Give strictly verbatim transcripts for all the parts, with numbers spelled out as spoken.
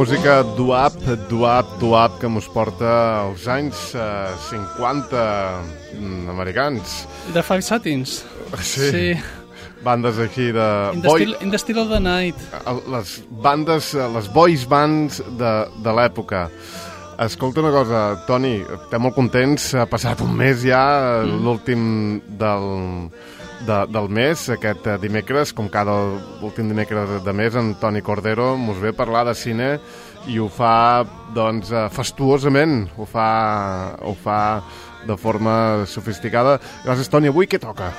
música doo-wop, doo-wop, doo-wop que mos porta als anys uh, cinquanta americans. The Five Satins. Sí. sí. Bandes aquí de... In the, boy... still, in the Still of the Night. Les bandes, les boys bands de, de l'època. Escolta una cosa, Toni, estem molt contents. Ha passat un mes ja, mm. l'últim del, de, del mes, aquest dimecres, com cada últim dimecres de mes, en Toni Cordero mos ve a parlar de cine i ho fa, doncs, fastuosament, ho fa, ho fa de forma sofisticada. Gràcies, Toni. Avui què toca?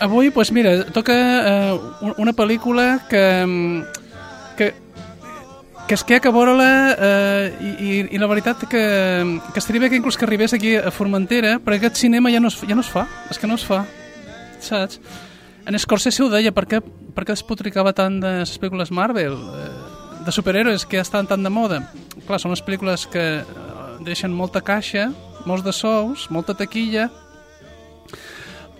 Avui, doncs mira, toca eh, una pel·lícula que, que, que es que a veure-la eh, i, i la veritat que, que estaria bé que inclús que arribés aquí a Formentera, perquè aquest cinema ja no es, ja no es fa, és que no es fa, saps? En Scorsese ho deia, per què, per què es potricava tant de les pel·lícules Marvel, eh, de superhéroes que ja estan tan de moda? Clar, són les pel·lícules que deixen molta caixa, molts de sous, molta taquilla,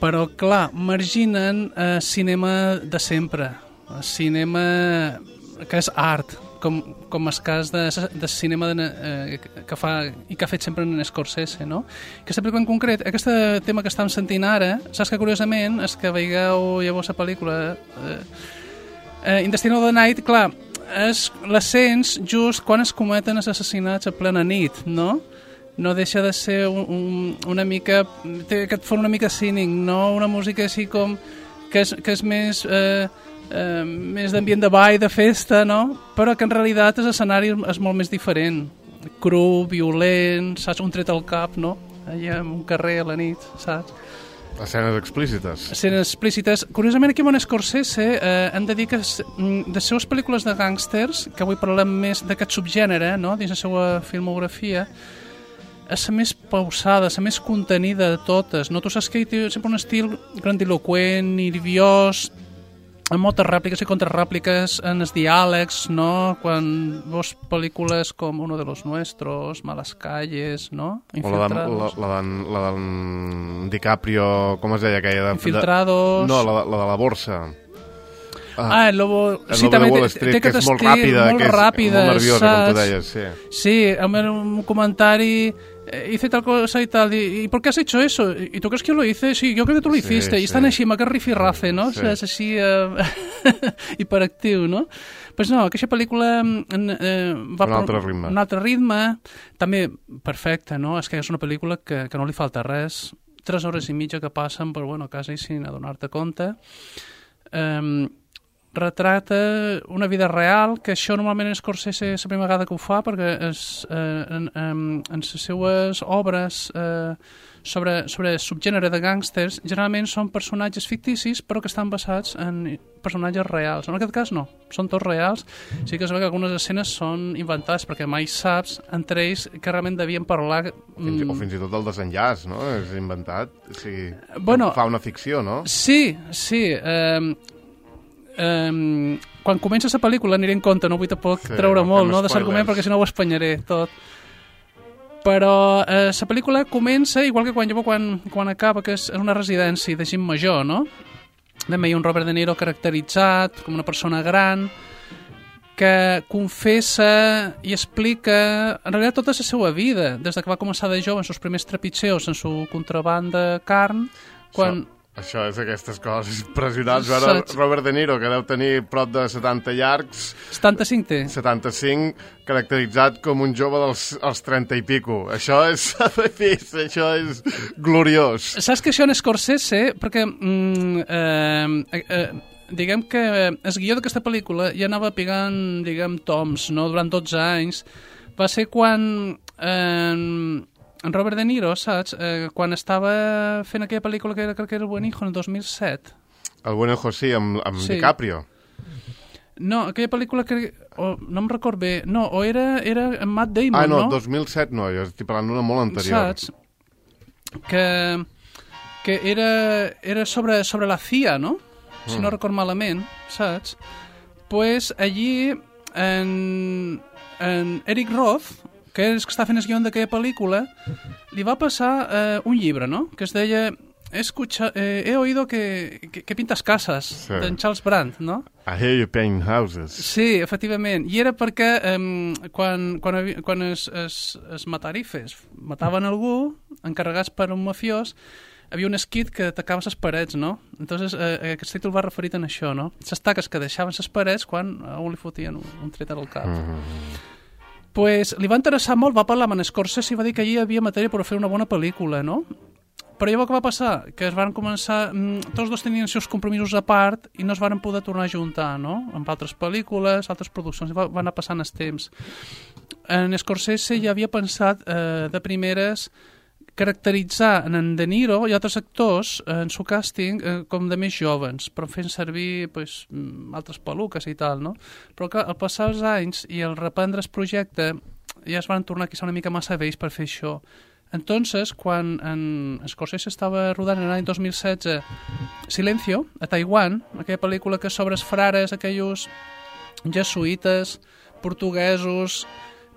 però, clar, marginen eh, cinema de sempre, cinema que és art, com, com el cas de, de cinema de, eh, que fa i que ha fet sempre en Scorsese, no? Aquesta pel·lícula en concret, aquest tema que estem sentint ara, saps que curiosament és que veieu llavors la pel·lícula eh, eh, In the Still of the Night, clar, és l'ascens just quan es cometen els assassinats a plena nit, no? No deixa de ser un, un, una mica... Té aquest font una mica cínic, no? Una música així com... que és, que és més... Eh, eh, més d'ambient de ball, de festa, no? Però que en realitat l'escenari és molt més diferent. Cru, violent, saps? Un tret al cap, no? Allà en un carrer a la nit, saps? Escenes explícites. Escenes explícites. Curiosament, aquí en Scorsese eh, hem de dir que de les seves pel·lícules de gàngsters, que avui parlem més d'aquest subgènere, no? Dins la seva filmografia, és la més pausada, la més contenida de totes, no? Tu saps que ell té sempre un estil grandiloquent, nerviós, amb moltes rèpliques i contrarrèpliques en els diàlegs, no? Quan veus pel·lícules com Uno de los Nuestros, Malas Calles, no? Infiltrados. O la d'en la, la DiCaprio, com es deia aquella? De, Infiltrados. De, no, la, la de la borsa. Ah, ah, el Lobo... El sí, Lobo de Wall Street, que és molt ràpida, molt que és ràpida, molt nerviosa, saps? com tu deies, sí. Sí, amb un comentari... hice tal cosa y tal, y, ¿y por qué has hecho eso? ¿Y tú crees que yo lo hice? Sí, yo creo que tú lo hiciste. Sí, y estan sí. així, amb aquest rifirrafe, no? Sí. És així eh, hiperactiu, no? Pues no, aquesta pel·lícula eh, va un altre ritme. Un altre ritme, també perfecte, no? És que és una pel·lícula que, que no li falta res. Tres hores i mitja que passen, però bueno, quasi sin adonar-te compte. Eh, retrata una vida real, que això normalment en Scorsese és la primera vegada que ho fa, perquè és, eh, en, en, en les seues obres eh, sobre, sobre el subgènere de gàngsters generalment són personatges ficticis però que estan basats en personatges reals. En aquest cas no, són tots reals. Sí que es veu que algunes escenes són inventades perquè mai saps entre ells que realment devien parlar... Fins, o fins i tot el desenllaç, no? És inventat, o sigui, bueno, fa una ficció, no? Sí, sí. Eh, Um, quan comença la pel·lícula aniré en compte, no vull tampoc sí, treure molt no, de l'argument perquè si no ho espanyaré tot, però eh, la pel·lícula comença igual que quan, quan, quan acaba, que és una residència de gent major, no? També hi ha un Robert De Niro caracteritzat com una persona gran que confessa i explica en realitat tota la seva vida, des que va començar de jove en els primers trepitgeos en su contraban de carn, quan... So. Això és aquestes coses impressionants. Veure Robert De Niro, que deu tenir prop de setanta llargs... setanta-cinc té. setanta-cinc, caracteritzat com un jove dels els trenta i pico. Això és, això és gloriós. Saps que això en Scorsese, perquè mm, eh, eh, diguem que el guió d'aquesta pel·lícula ja anava pegant, diguem, toms, no? Durant dotze anys. Va ser quan... Eh, en Robert De Niro, saps? Eh, quan estava fent aquella pel·lícula que era, crec que era El Buen Hijo, en el dos mil set. El Buen Hijo, sí, amb, amb sí. DiCaprio. No, aquella pel·lícula que... Oh, no em record bé. No, o era, era en Matt Damon, ah, no? no? dos mil set no, jo estic parlant d'una molt anterior. Saps? Que, que era, era sobre, sobre la C I A, no? Si mm. no record malament, saps? Pues allí en, en Eric Roth, que és que està fent el guió d'aquella pel·lícula, li va passar eh, un llibre, no?, que es deia he, escucha, eh, he oído que, que, que pintes cases, sí. d'en Charles Brandt, no? I hear you paint houses. Sí, efectivament. I era perquè um, quan, quan, quan es, es, es matarifes mataven algú, encarregats per un mafiós, havia un esquit que tacava les parets, no? Entonces, eh, aquest títol va referit en això, no? Les taques que deixaven les parets quan a un li fotien un, un tret al cap. Mm-hmm. Pues li va interessar molt, va parlar amb en Scorsese i va dir que allí hi havia matèria per fer una bona pel·lícula, no? Però llavors què va passar? Que es van començar... Tots dos tenien els seus compromisos a part i no es van poder tornar a juntar, no? Amb altres pel·lícules, altres produccions, i va, va anar passant els temps. En Scorsese ja havia pensat eh, de primeres caracteritzar en De Niro i altres actors en su càsting eh, com de més jovens, però fent servir pues, altres peluques i tal, no? Però que al passar els anys i al reprendre el projecte ja es van tornar quizá una mica massa vells per fer això. Entonces, quan en Scorsese estava rodant en l'any dos mil setze Silencio, a Taiwan, aquella pel·lícula que sobre els frares, aquells jesuïtes, portuguesos,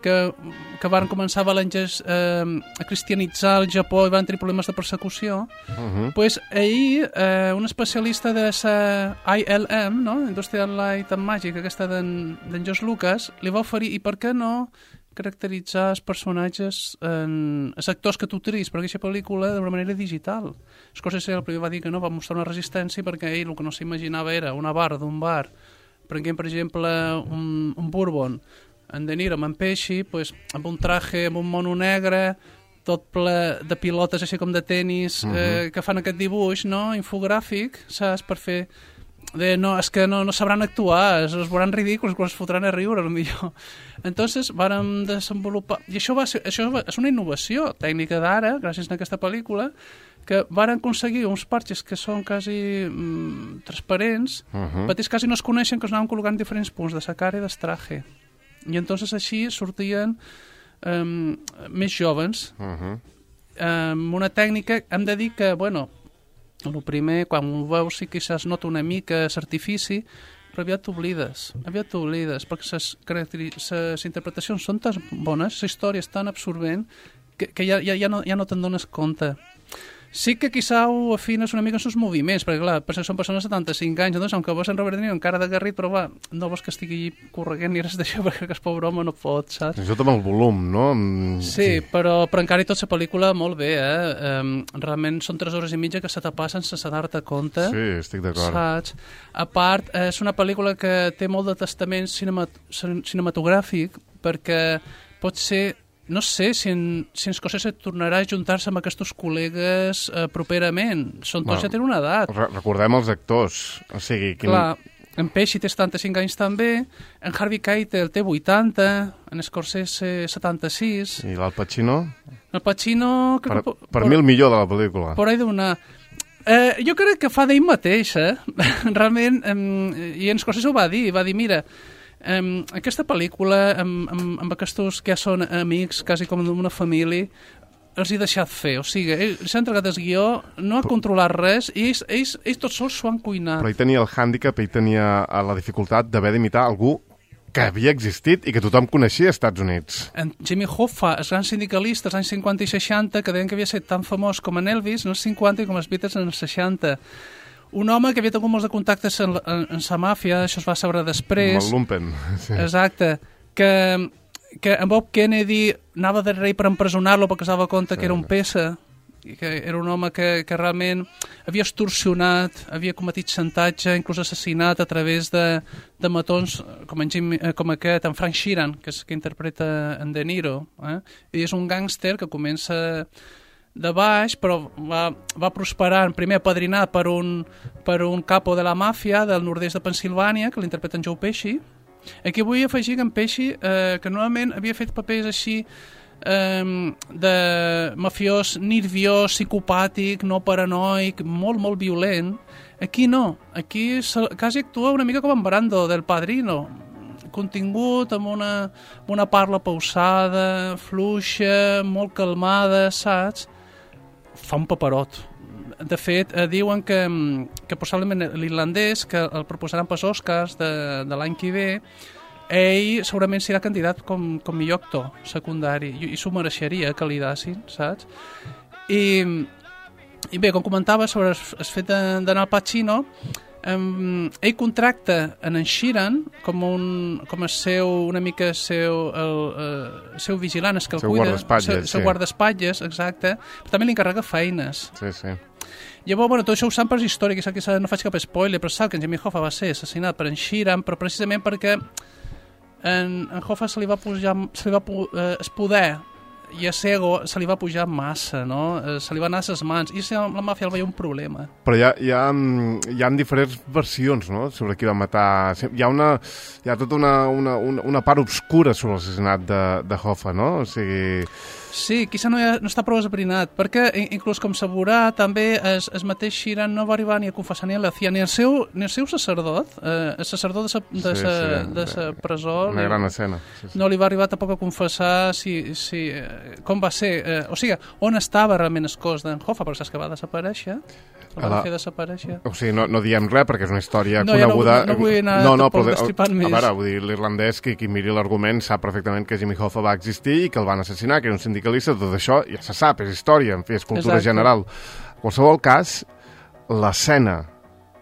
que, que van començar a, eh, a cristianitzar el Japó i van tenir problemes de persecució, uh-huh. pues ahir eh, un especialista de la I L M, no? Industrial Light and Magic, aquesta d'en George Lucas, li va oferir, i per què no caracteritzar els personatges, en, els actors que tu tris per aquesta pel·lícula d'una manera digital. Scorsese el primer va dir que no, va mostrar una resistència perquè ell el que no s'imaginava era una barra d'un bar, prenguem per exemple un, un bourbon, en De Niro amb en Pesci, pues, amb un traje, amb un mono negre, tot ple de pilotes així com de tenis, uh-huh. eh, que fan aquest dibuix, no?, infogràfic, saps, per fer... De, no, és que no, no sabran actuar, es, es veuran ridículs, es fotran a riure, potser. Entonces, vàrem desenvolupar... I això, va ser, això va, és una innovació tècnica d'ara, gràcies a aquesta pel·lícula, que varen aconseguir uns parxes que són quasi mm, transparents, uh-huh. petits quasi no es coneixen, que es anaven col·locant en diferents punts de sa cara i del traje. I entonces així sortien um, més jovens. Uh-huh. Um, una tècnica, hem de dir que, bueno, el primer, quan ho veus, sí que es nota una mica l'artifici, però aviat t'oblides, aviat t'oblides, perquè les interpretacions són tan bones, la història és tan absorbent, que, que ja, ja, ja, no, ja no te'n dones compte. Sí que quizà ho afines una mica en els moviments, perquè clar, perquè són persones de setanta-cinc anys, doncs, aunque veus en Robert De Niro encara de garrit, però va, no vols que estigui correguent ni res d'això, perquè aquest pobre home no pot, saps? Això també el volum, no? Sí, sí. Però, però encara i tot la pel·lícula molt bé, eh? Um, realment són tres hores i mitja que se te passen sense dar-te compte. Sí, estic d'acord. Saps? A part, és una pel·lícula que té molt de testament cinemat cinematogràfic, perquè pot ser... No sé si en, si en Scorsese tornarà a juntar-se amb aquests col·legues eh, properament. Són tots, bueno, ja tenen una edat. Re recordem els actors. O sigui, quin... Clar, en Pesci té setanta-cinc anys també, en Harvey Keitel té vuitanta, en Scorsese setanta-sis... I l'Al Pacino? El Pacino... Per, que, per, per mi el millor de la pel·lícula. Por ahí d'una... Eh, jo crec que fa d'ell mateix, eh? Realment, eh, i en Scorsese ho va dir, va dir, mira... Um, aquesta pel·lícula amb, amb, amb aquests que ja són amics quasi com d'una família els he deixat fer, o sigui, ells s'han entregat el guió, no ha però, controlat res i ells, ells, ells tots sols s'ho han cuinat. Però ell tenia el hàndicap, ell tenia la dificultat d'haver d'imitar algú que havia existit i que tothom coneixia als Estats Units. En Jimmy Hoffa, els grans sindicalistes als anys cinquanta i seixanta, que deien que havia estat tan famós com en Elvis en els cinquanta i com els Beatles en els seixanta. Un home que havia tingut molts de contactes en, en, en sa màfia, això es va saber després. Amb el lumpen. Sí. Exacte. Que, que en Bob Kennedy anava de rei per empresonar-lo perquè es dava compte sí. que era un pesa, i que era un home que, que realment havia extorsionat, havia cometit xantatge, inclús assassinat a través de, de matons com, en Jim, com aquest, en Frank Sheeran, que és que interpreta en De Niro. Eh? I és un gàngster que comença... de baix, però va, va prosperar primer apadrinat per un, per un capo de la màfia del nord-est de Pensilvània, que l'interpreta en Joe Pesci. Aquí vull afegir que en Pesci, eh, que normalment havia fet papers així eh, de mafiós nerviós, psicopàtic, no paranoic, molt, molt violent. Aquí no, aquí quasi actua una mica com en Brando del Padrino, contingut, amb una, amb una parla pausada, fluixa, molt calmada, saps? Fa un paperot. De fet, eh, diuen que, que possiblement l'irlandès, que el proposaran pels Oscars de, de l'any que ve, ell segurament serà candidat com, com millor actor secundari, i, i s'ho mereixeria que li dassin, saps? I I bé, com comentava sobre el, el fet d'anar al Pacino, um, ell contracta en en Sheeran com, un, com el seu, una mica seu, el, el seu vigilant, el que el seu cuida, guardaespatlles, seu, seu sí. guardaespatlles, exacte, però també li encarrega feines. Sí, sí. Llavors, bueno, tot això ho sap per història, que, que no faig cap spoiler, però sap que en Jimmy Hoffa va ser assassinat per en Sheeran, però precisament perquè en, en Hoffa se li va pujar, se li va pu, eh, el poder i a Sego se li va pujar massa, no? Eh, se li va anar a les mans, i la màfia el veia un problema. Però hi ha, hi ha, hi ha diferents versions, no?, sobre qui va matar. Hi ha, una, hi ha tota una, una, una, una part obscura sobre l'assassinat de, de Hoffa, no? O sigui... Sí, quizá no, ha, no està prou esbrinat, perquè inclús com s'ha veurà, també el, el mateix Sheeran no va arribar ni a confessar ni a la C I A, ni el seu, ni el seu sacerdot, eh, el sacerdot de sa, de sí, sa, sí, de sa presó, una li, gran escena. Sí, sí. no li va arribar tampoc a confessar si, si, eh, com va ser, eh, o sigui, on estava realment el cos d'en Hoffa, perquè saps que va desaparèixer, el va la... fer desaparèixer. O sigui, no, no diem res perquè és una història no, coneguda. Ja no, no vull anar no, no, tampoc però, destripant més. A veure, vull dir, l'irlandès, qui, qui miri l'argument, sap perfectament que Jimmy Hoffa va existir i que el van assassinar, que era un sindicalista, tot això ja se sap, és història, en fi, és cultura Exacte. general. En qualsevol cas, l'escena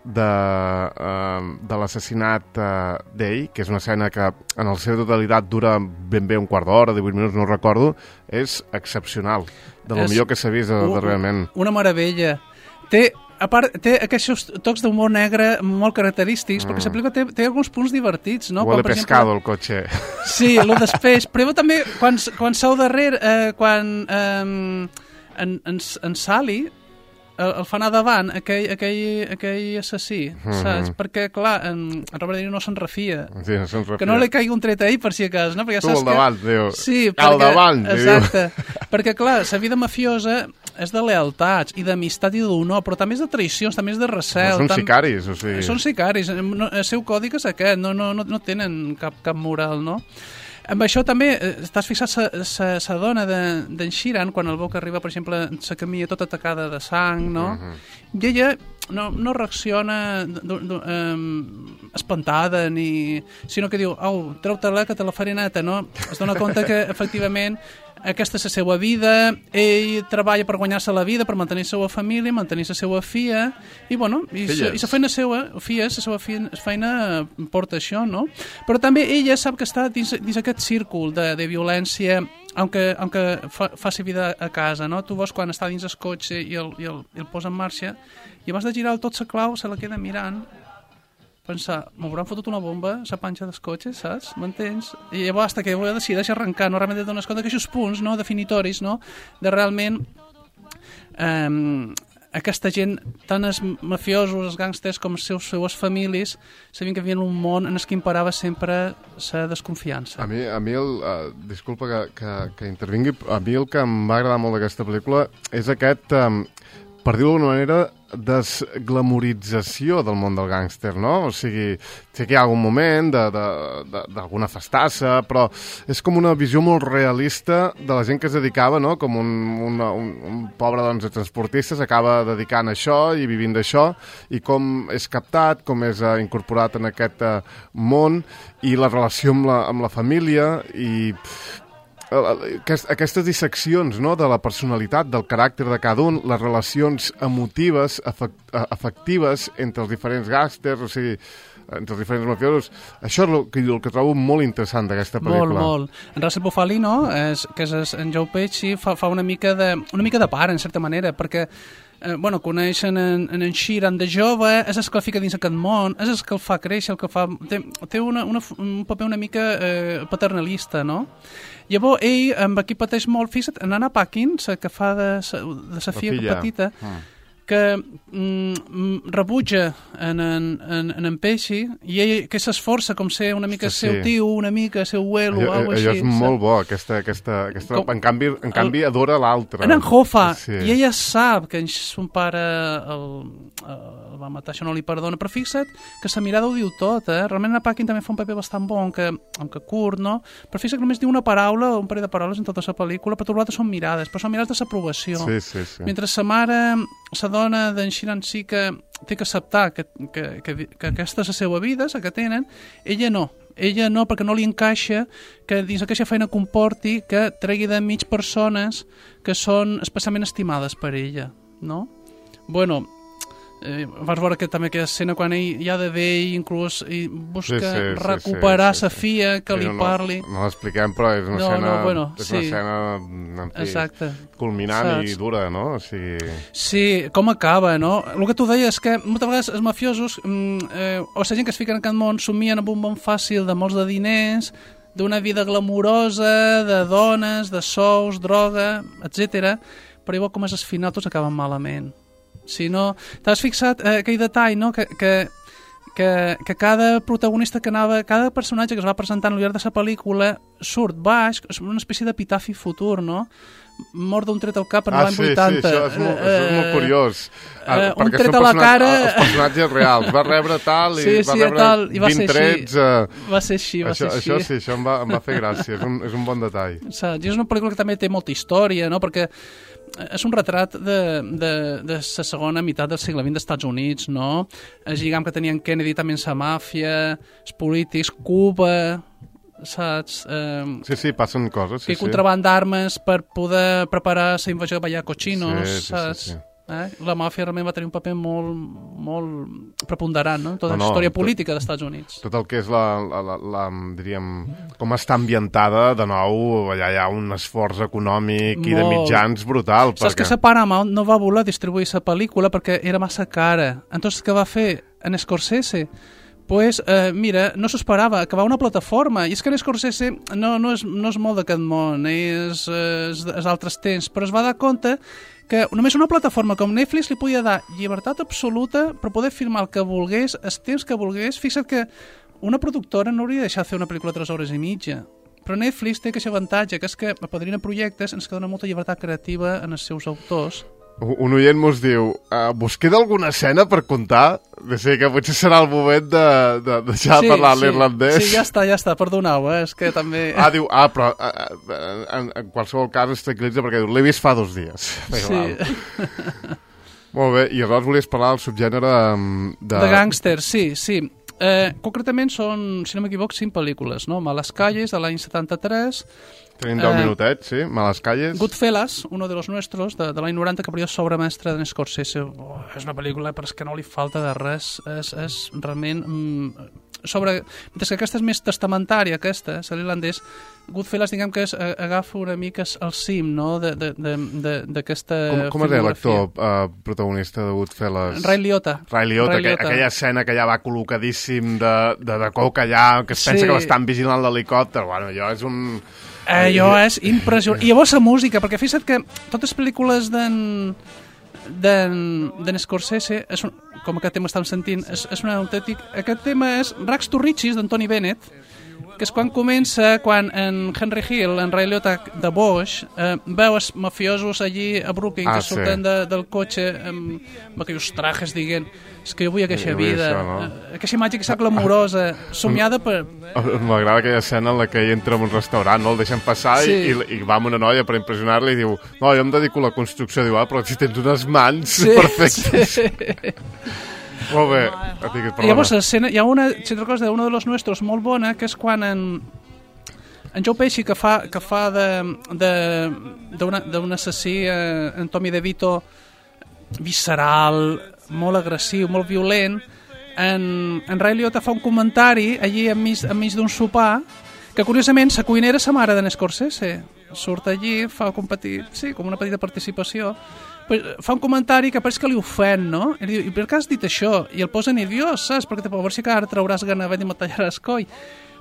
de, uh, de l'assassinat uh, d'ell, que és una escena que en la seva totalitat dura ben bé un quart d'hora, divuit minuts, no ho recordo, és excepcional, de lo és millor que s'ha vist uh, darrerament. Una meravella. Té, a part, té aquests tocs d'humor negre molt característics, mm. perquè la pel·lícula té, té alguns punts divertits, no? Huele Quan, pescado exemple, el cotxe. Sí, lo després, però també quan, quan seu darrere, eh, quan eh, en, en, en Sally el, el fa anar davant aquell, aquell, aquell assassí, mm-hmm. saps? Perquè, clar, en, en Robert De Niro no se'n refia. Sí, no se'n refia. Que no li caigui un tret a ell, per si acas, no? Perquè ja tu saps al davant, que... diu. Sí, al perquè, davant, diu. exacte. Perquè, clar, la vida mafiosa és de lealtats i d'amistat i d'honor, però també és de traïcions, també és de recel. No, són tam... sicaris, o sigui... Són sicaris. No, el seu còdic és aquest, no, no, no, no tenen cap, cap moral, no? Amb això també, t'has fixat la dona d'en de, Sheeran, quan el veu que arriba, per exemple, la camilla tota atacada de sang, no? Uh-huh. I ella no, no reacciona d, d, um, espantada, ni... sinó que diu, au, treu-te-la que te la faré neta, no? Es dona compte que, efectivament, aquesta és la seva vida, ell treballa per guanyar-se la vida, per mantenir la seva família, mantenir la seva filla, i bueno, i la feina seva, filles, la seva feina porta això, no? Però també ella sap que està dins, dins aquest círcul de, de violència, aunque, aunque fa, faci vida a casa, no? Tu veus quan està dins el cotxe i el, i el, i el posa en marxa, i abans de girar tot la clau se la queda mirant, pensar, m'hauran fotut una bomba, la panxa dels cotxes, saps? M'entens? I llavors, hasta que decideix arrencar, no realment et dones compte que aquests punts, no, definitoris, no, de realment eh, aquesta gent, tant els mafiosos, els gàngsters, com les seus, seves famílies, sabien que vivien un món en el que imperava sempre la desconfiança. A mi, a mi el, uh, disculpa que, que, que intervingui, a mi el que em va agradar molt d'aquesta pel·lícula és aquest, um, per dir-ho d'alguna manera, desglamorització del món del gàngster, no? O sigui, sé que hi ha algun moment d'alguna festassa, però és com una visió molt realista de la gent que es dedicava, no? Com un, una, un, un pobre doncs, transportista s'acaba dedicant a això i vivint d'això, i com és captat, com és uh, incorporat en aquest uh, món, i la relació amb la, amb la família, i... aquestes disseccions, no?, de la personalitat, del caràcter de cada un, les relacions emotives, afectives entre els diferents gàngsters, o sigui, entre els diferents mafiosos. Això és el que, el que trobo molt interessant d'aquesta pel·lícula. Molt, molt. En Russell Bufalino, és, que és en Joe Pesci, fa, fa una mica de, una mica de pare, en certa manera, perquè eh, bueno, coneixen en, en Sheeran de jove, és el que el fica dins aquest món, és el que el fa créixer, el que fa... Té, té una, una, un paper una mica eh, paternalista, no? Llavors, ell, amb aquí pateix molt, fixa't, en Anna Paquin, la que fa de sa, de sa filla, filla petita, mm. que mm, rebutja en en, en, en en Pesci, i ell que s'esforça com ser una mica sí, seu sí. tio, una mica seu abuelo, o alguna cosa així. Allò és molt bo, aquesta... aquesta, aquesta com, en canvi, en canvi el, adora l'altre. En en Hoffa, sí. I ella sap que son pare el, el va matar, això no li perdona, però fixa't que sa mirada ho diu tot, eh? Realment en Paquin també fa un paper bastant bon, que, aunque curt, no? Però fixa't que només diu una paraula, un parell de paraules en tota la pel·lícula, però tot l'altre són mirades, però són mirades de s'aprovació. Sí, sí, sí. Mentre sa mare, sa dona d'en Sheeran sí que té que acceptar que, que, que, que aquesta és la seva vida, la que tenen, ella no. Ella no, perquè no li encaixa que dins aquesta feina comporti que tregui de mig persones que són especialment estimades per ella, no? bueno, eh, vas veure que també aquella escena quan ell ja de vell inclús i busca Sí, sí, sí, recuperar sí, sa sí. filla que Sí, li no, parli. No, no l'expliquem, però és una No, escena, no, bueno, és sí. una escena en fi, Exacte. culminant Saps? i dura, no? O sigui... Sí, com acaba, no? El que tu deies és que moltes vegades els mafiosos mm, eh, o la gent que es fica en aquest món somien amb un món fàcil de molts de diners, d'una vida glamurosa, de dones, de sous, droga, etcètera. Però igual com és el final tots acaben malament. Si no, t'has fixat eh, aquell detall, no?, que, que, que, que cada protagonista que anava, cada personatge que es va presentant al llarg de la pel·lícula surt baix, és una espècie d'epitafi futur, no? Mort d'un tret al cap en ah, l'any sí, vuitanta. Ah, sí, això és molt, això és molt curiós. Uh, uh, un perquè tret són a la personat- cara... Els personatges reals. Va rebre tal i Sí, va sí, rebre tal, i va ser vint així. trets... Uh, Va ser així, va això, ser així. això sí, això em va, em va fer gràcia. És un, és un bon detall. Saps? I és una pel·lícula que també té molta història, no?, perquè és un retrat de, de, de la segona meitat del segle vint dels Estats Units, no? El lligam que tenien Kennedy també amb la màfia, els polítics, Cuba, saps? Eh, Sí, sí, passen coses. Sí, que contraband d'armes per poder preparar la invasió de Balla Cochinos, Sí, sí, sí, saps? sí. Eh? La màfia realment va tenir un paper molt, molt preponderant, no? Tota No, la no, història tot- política dels Estats Units. Tot el que és la, la, la, la, diríem, com està ambientada, de nou, allà hi ha un esforç econòmic i de Molt. mitjans brutal. Saps que la Paramount no va voler distribuir la pel·lícula perquè era massa cara. Entonces, què va fer en Scorsese? Pues, eh, mira, no s'ho esperava, acabar una plataforma. I és que en Scorsese no, no, és, no és molt d'aquest món, és, és, és altres temps, però es va dar compte que només una plataforma com Netflix li podia dar llibertat absoluta per poder filmar el que volgués, els temps que volgués. Fixa't que una productora no hauria deixat fer una pel·lícula de tres hores i mitja. Però Netflix té aquest avantatge, que és que apadrina projectes ens que dona molta llibertat creativa en els seus autors. Un oient mos diu, uh, vos queda alguna escena per contar? De ser que potser serà el moment de, de deixar de parlar sí, l'irlandès. Sí, ja està, ja està, perdoneu, eh? És que també... Ah, diu, ah, però uh, en, en qualsevol cas es tranquil·litza perquè diu, l'he vist fa dos dies. Sí. Molt bé, i aleshores volies parlar del subgènere um, de... De gàngster, sí, sí. Eh, concretament són, si no m'equivoc, cinc pel·lícules, no? Malas Calles, de l'any setanta-tres... Tenim deu Eh, minutets, sí, Malas Calles. Goodfellas, uno de los nuestros, de, de l'any noranta, que per jo és obra mestra d'en Scorsese. Oh, és una pel·lícula, però és que no li falta de res. És, és realment... Mm, sobre... Mentre que aquesta és més testamentària, aquesta, és l'irlandès, Goodfellas, diguem que és, agafa una mica el cim, no?, d'aquesta Com, com es deia l'actor uh, protagonista de Goodfellas? Ray Liotta. Ray Liotta, Ray aquella, Liotta. aquella escena que ja va col·locadíssim de, de, de coca allà, que es pensa Sí. que l'estan vigilant l'helicòpter. Bueno, allò és un... Allò és impressionant. I llavors la música, perquè fixa't que totes les pel·lícules d'en d'en Scorsese, és un, com aquest tema estem sentint, és, és un autèntic... Aquest tema és Rags to Riches, d'Antoni Bennett, que és quan comença, quan en Henry Hill, en Ray Liotta de Bosch, eh, veu els mafiosos allí a Brooklyn, Ah, que sí. surten de, del cotxe amb, amb aquells trajes, diguent, és que jo vull aquesta Jo vull vida, això, no? eh, aquesta imatge que s'ha glamorosa, somiada per... M'agrada aquella escena en la que ell entra en un restaurant, no? El deixen passar Sí. i, i, i va amb una noia per impressionar-li i diu, no, jo em dedico a la construcció. Diu, ah, però si tens unes mans Sí, perfectes. sí. Molt bé. Digues, I llavors l'escena, hi ha una, si te'n recordes, d'uno de los nuestros molt bona, que és quan en, en Joe Pesci, que fa, que fa de, de, d'una, d'un assassí, eh, en Tommy DeVito, visceral, molt agressiu, molt violent, en, en Ray Liotta fa un comentari allí enmig, enmig d'un sopar, que curiosament la cuinera és la mare d'en Scorsese. Surt allí, fa com, petit, sí, com una petita participació, però fa un comentari que pareix que li ofèn, no? I diu, i per què has dit això? I el posa nerviós, saps? Perquè a veure si que ara trauràs gana de matallar el coll.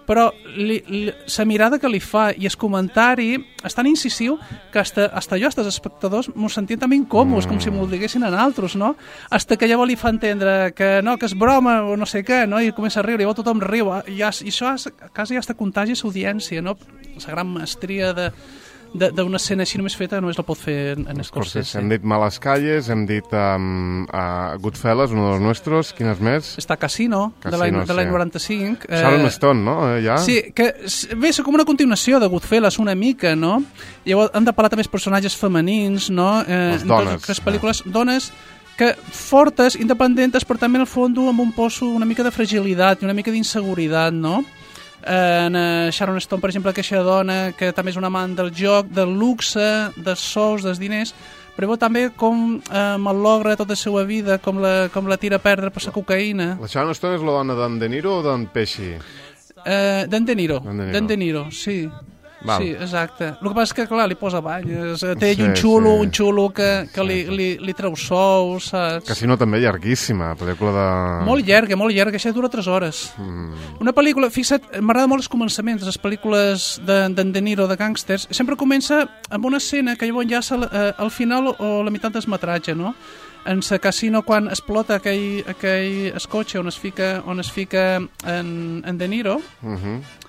Però li, li, la mirada que li fa i el comentari és tan incisiu que hasta, hasta jo, hasta els espectadors, m'ho sentien també incòmodes, mm. com si m'ho diguessin a altres, no? Hasta que llavors li fa entendre que no, que és broma o no sé què, no? I comença a riure, i llavors tothom riu. I, ja, i això és, quasi hasta contagi l'audiència, no? La gran mestria de d'una escena així només feta només la pot fer en, en Scorsese. Hem dit Malas Calles, hem dit um, uh, Goodfellas, uno dels nostres, quines més? Està Casino, Casino, de l'any sí. de l'any noranta-cinc. Sharon Stone, no? Eh, ja? Sí, que bé, és com una continuació de Goodfellas una mica, no? Llavors hem de parlar també dels personatges femenins, no? Eh, Les dones. Les pel·lícules, eh. dones que fortes, independentes, però també en el fons amb un poso una mica de fragilitat i una mica d'inseguretat, no? En uh, Sharon Stone, per exemple, aquesta dona que també és una amant del joc, del luxe, dels sous, dels diners, però llavors també com eh, mallogra tota la seva vida, com la, com la tira a perdre per la cocaïna. La Sharon Stone és la dona d'en De Niro o d'en Pesci? Eh, d'en De Niro, d'en De Niro, d'en De Niro sí. Val. Sí, exacte. El que passa és que, clar, li posa banyes, té Sí, un xulo, sí. un xulo que, que Sí, li, sí. li, li treu sous, saps? Casino també llarguíssima, pel·lícula de... Molt llarga, molt llarga, això dura tres hores. Mm. Una pel·lícula, fixa't, m'agrada molt els començaments de les pel·lícules d'en de, De Niro, de gàngsters. Sempre comença amb una escena que llavors enllaça eh, al final o la meitat del metratge, no? En la casino, quan explota aquell, aquell escotxe on es fica, on es fica en, en De Niro, Mm-hmm.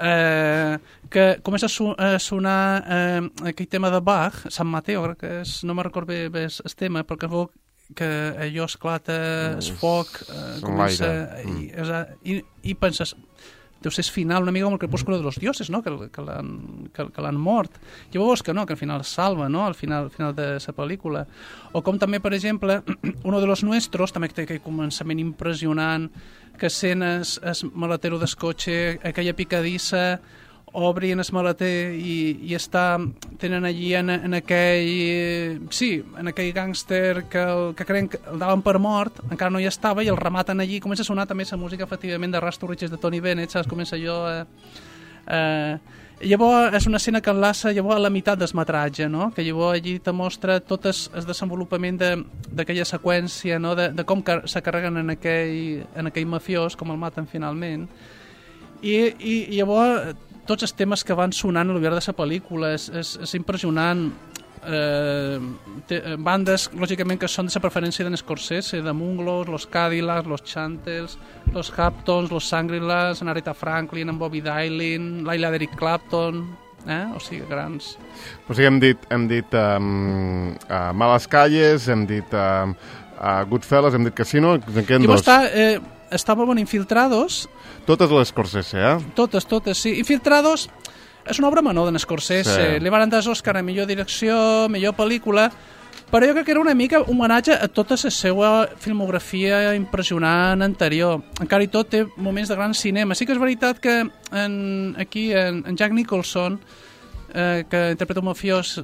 eh, que comença a, so, a sonar eh, aquell tema de Bach, Sant Mateo, crec que és, no me'n recordo bé, bé el tema, però que veu que allò esclata, el foc, eh, comença, Mm. i, i, i penses, deu ser el final una mica com el crepúsculo de los dioses, no? que, que l'han que, que l'han mort. Llavors que no, que al final es salva, no? al final, al final de la pel·lícula. O com també, per exemple, uno de los nuestros, també té aquell començament impressionant, que sent es, es maletero del cotxe, aquella picadissa, obrin el maleter i, i està, tenen allí en, en aquell, sí, en aquell gàngster que, el, que creen que el daven per mort, encara no hi estava, i el rematen allí, comença a sonar també la música, efectivament, de Rasto Riches de Tony Bennett, saps? Comença allò... Eh, eh, llavors és una escena que enlaça llavors a la meitat del metratge, no? Que llavors allí te mostra tot el, el desenvolupament d'aquella de, seqüència, no? de, de com se carreguen en aquell, en aquell mafiós, com el maten finalment, i, i, i llavors tots els temes que van sonant al llarg de la pel·lícula és, és, és impressionant. Eh, té, bandes, lògicament, que són de la preferència d'en Scorsese, de Munglos, los Cadillacs, los Chantels, los Hamptons, los Shangri-Las, en Aretha Franklin, en Bobby Dailin, l'Aila d'Eric Clapton, eh? O sigui, grans. O sigui, hem dit, hem dit um, uh, Males Calles, hem dit uh, uh, Goodfellas, hem dit Casino, en queden dos. Està, eh, estava bon Infiltrados. Totes les Scorsese, eh? Totes, totes, sí. Infiltrados és una obra menor d'en Scorsese. Sí. Li van dar Òscar a millor direcció, millor pel·lícula, però jo crec que era una mica un homenatge a tota la seva filmografia impressionant anterior. Encara i tot té moments de gran cinema. Sí que és veritat que en, aquí en, en Jack Nicholson, eh, que interpreta un mafiós,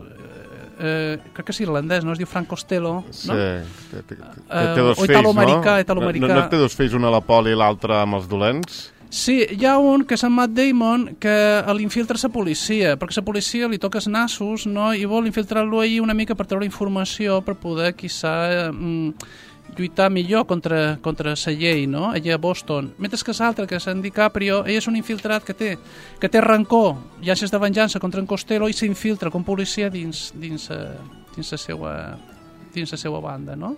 eh, crec que és irlandès, no? Es diu Frank Costello, no? Sí, té, té, té, Uh, té dos o fills, italo-americà, no? italo-americà. No, no té dos fills, un a la poli i l'altre amb els dolents? Sí, hi ha un que és en Matt Damon que l'infiltra la policia, perquè la policia li toca els nassos, no? I vol infiltrar-lo allí una mica per treure informació per poder, quizà, mm, lluitar millor contra, contra la llei, no? Allà a Boston. Mentre que l'altre, que és en DiCaprio, ell és un infiltrat que té, que té rancor i ansies de venjança contra en Costello i s'infiltra com policia dins, dins, dins, la seva, dins la seva banda, no?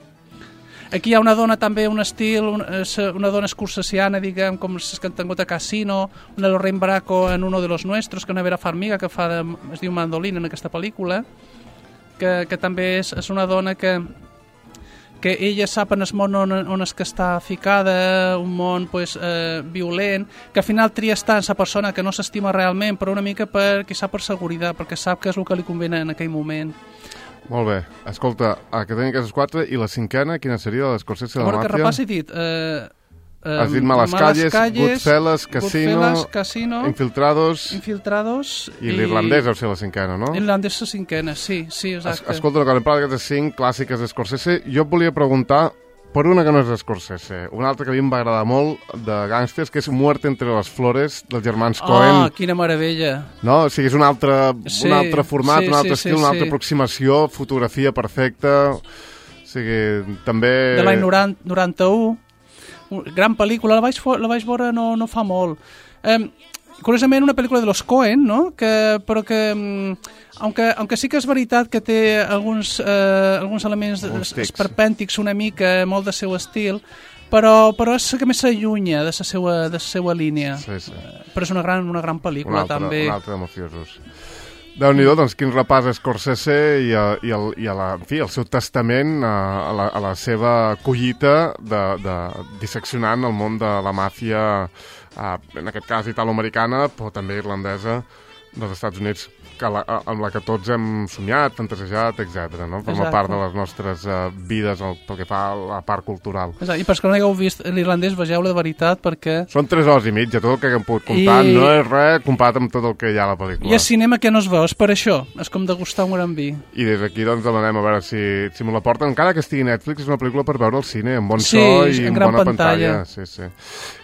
Aquí hi ha una dona també, un estil, una, una dona escorsesiana, diguem, com les que han tingut a Casino, una Lorraine Bracco en Uno de los Nuestros, que una Vera Farmiga, que fa de, es diu Mandolina en aquesta pel·lícula, que, que també és, és una dona que, que ella sap en el món on, on és que està ficada, un món pues, eh, violent, que al final tria estar en la persona que no s'estima realment, però una mica per, quizà per seguretat, perquè sap que és el que li convene en aquell moment. Molt bé. Escolta, que tenim aquestes quatre, i la cinquena, quina seria, la d'Escorsese de la Màfia? A veure, que repassi, he dit... Eh, eh, Has dit Males Calles, Goodfellas, Casino, Goodfellas, Casino, Infiltrados, Infiltrados i, i l'irlandès deu ser la cinquena, no? L'irlandès la cinquena, sí, sí, exacte. Es, escolta, quan hem parlat d'aquestes cinc clàssiques d'Escorsese, jo et volia preguntar per una que no és d'Escorsese, una altra que a mi em va agradar molt, de gàngsters, que és Muerte entre les flores, dels germans Coen. Oh, quina meravella! No? O sigui, és un altre, Sí, un altre format, sí, un altre sí, estil, sí, una altra sí. aproximació, fotografia perfecta... O sigui, també... De l'any noranta-u, gran pel·lícula, la vaig, la vaig veure no, no fa molt. Eh, curiosament, una pel·lícula de los Coen, no? Que, però que, aunque, aunque sí que és veritat que té alguns, eh, alguns elements Alguns tics. esperpèntics una mica, molt del seu estil, però, però és que més s'allunya de la seva, de la seva línia. Sí, sí. Però és una gran, una gran pel·lícula, Un altre, també. un altre de mafiosos. Déu-n'hi-do, doncs quin repàs a Scorsese i, a, i, el, i a la, en fi, el seu testament a, a, la, a la seva collita de, de disseccionant el món de la màfia, a, en aquest cas italo-americana, però també irlandesa dels Estats Units. que la, amb la que tots hem somiat, fantasejat, etcètera. No? Forma Exacte. part de les nostres uh, vides el, pel que fa a la part cultural. Exacte. I per que no hagueu vist l'irlandès, vegeu-la de veritat, perquè... Són tres hores i mitja, tot el que hem pogut comptar, I... no és res comparat amb tot el que hi ha a la pel·lícula. I a cinema que no es veu, és per això, és com degustar un gran vi. I des d'aquí doncs demanem a veure si, si me la porten, encara que estigui a Netflix, és una pel·lícula per veure al cine, amb bon sí, so i en amb gran bona pantalla. pantalla. Sí, sí.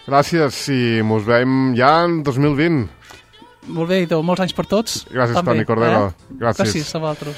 Gràcies i mos veiem ja en dos mil vint. Molt bé, i molts anys per tots. Gràcies, també, Toni Cordero. Eh? Gràcies. Gràcies a vosaltres.